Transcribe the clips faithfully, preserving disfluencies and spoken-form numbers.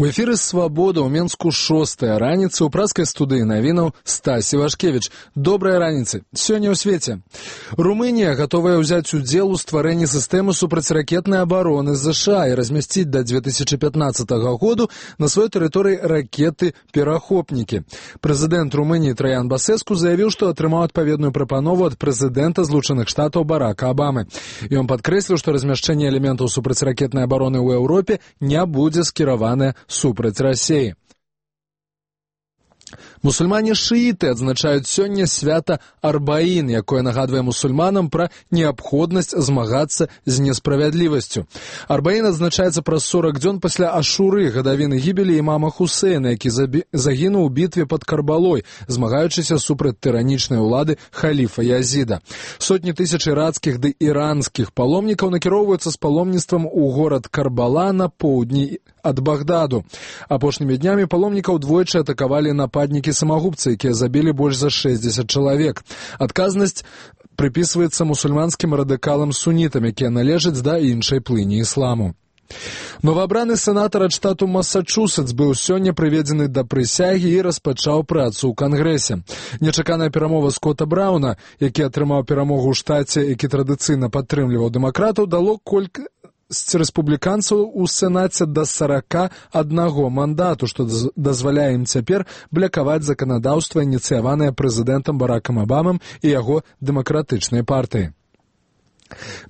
У эфіры «Свабода» ў Менску шостая раніца, у праскай студыі навінаў Стась Івашкевіч. Добрая раніца. Сёння ў свеце. Румынія гатовая ўзяць удзел у стварэнні сістэмы супрацьракетнай абароны ЗША і размясціць да две тысячы пятнаццатага году на сваёй тэрыторыі ракеты-перахопнікі. Прэзідэнт Румыніі Траян Басэску заявіў, што атрымаў адпаведную прапанову ад прэзідэнта Злучаных Штатаў Барака Абамы. Ён падкрэсліў, што размяшчэнне элементаў супрацьракетнай абароны ў Еўропе не будзе скіраванае супраць Расіі. Мусульмане-шыіты адзначаюць сёння свята Арбаін, якое нагадвае мусульманам пра неабходнасць змагацца з несправядлівасцю. Арбаін адзначаецца праз сорак дзён пасля Ашуры, гадавіны гібелі імама Хусейна, які загінуў у бітве пад Карбалой, змагаючыся супраць тыранічнай улады халіфа Язіда. Сотні тысяч ірацкіх ды іранскіх паломнікаў накіроўваюцца з паломніцтвам у горад Карбала на поўдні ад Багдаду. Апошнімі днямі паломнікаў двойчы атакавалі нападнікі-самагубцы, якія забілі больш за шэсцьдзесят чалавек. Адказнасць прыпісваецца мусульманскім радыкалам-сунітам, якія належаць да іншай плыні ісламу. Новаабраны сенатар ад штату Масачусетс быў сёння прыведзены да прысягі і распачаў працу ў кангрэсе. Нечаканая перамова Скотта Брауна, які атрымаў перамогу ў штаце, які традыцыйна падтрымліваў дэмакратаў, дало колькі з рэспубліканцаў у сенаце да сарака аднаго мандату, што дазваляе ім цяпер блякаваць заканадаўства, ініцыяванае прэзідэнтам Баракам Абамам і яго дэмакратычнай партыі.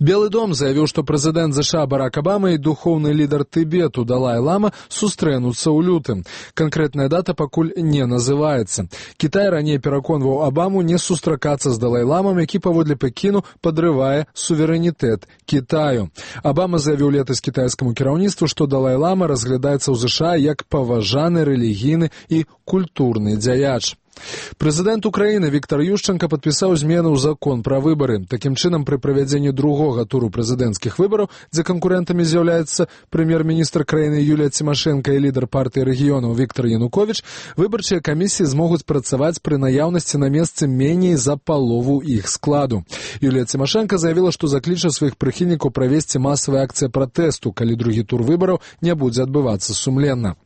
Белы дом заявіў, што прэзідэнт ЗША Барак Абама і духоўны лідар Тыбету Далай-Лама сустрэнуцца ў лютым. Канкрэтная дата пакуль не называецца. Кітай раней пераконваў Абаму не сустракацца з Далай-Ламам, які паводле Пекіну падрывае суверэнітэт Кітаю. Абама заявіў летась кітайскаму кіраўніцтву, што Далай-Лама разглядаецца ў ЗША як паважаны рэлігійны і культурны дзяяч. Прэзідэнт Украіны Віктар Ющанка падпісаў змены ў закон пра выбары. Такім чынам, пры правядзенні другога туру прэзідэнцкіх выбараў, дзе канкурэнтамі з'яўляецца прэм'ер-міністр краіны Юлія Цімашэнка і лідар партыі рэгіёнаў Віктар Януковіч, выбарчыя камісіі змогуць працаваць пры наяўнасці на месцы меней за палову іх складу. Юлія Цімашэнка заявіла, што закліча сваіх прыхільнікаў правесці масавыя акцыі пратэсту, калі другі тур выбараў не будзе адбывацца сумленна.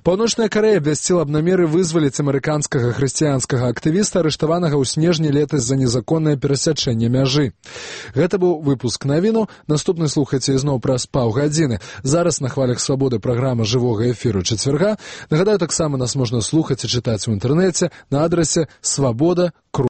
Паўночная Карэя абвясціла аб намеры вызваліць амерыканскага хрысціянскага актывіста, арыштаванага ў снежні летась за незаконнае перасячэнне мяжы. Гэта быў выпуск навіну. Наступны слухайце ізноў праз паўгадзіны. Зараз на хвалях свабоды праграма жывога эфіру чацвярга. Нагадаю, таксама нас можна слухаць і чытаць у інтэрнэце на адрасе свабода.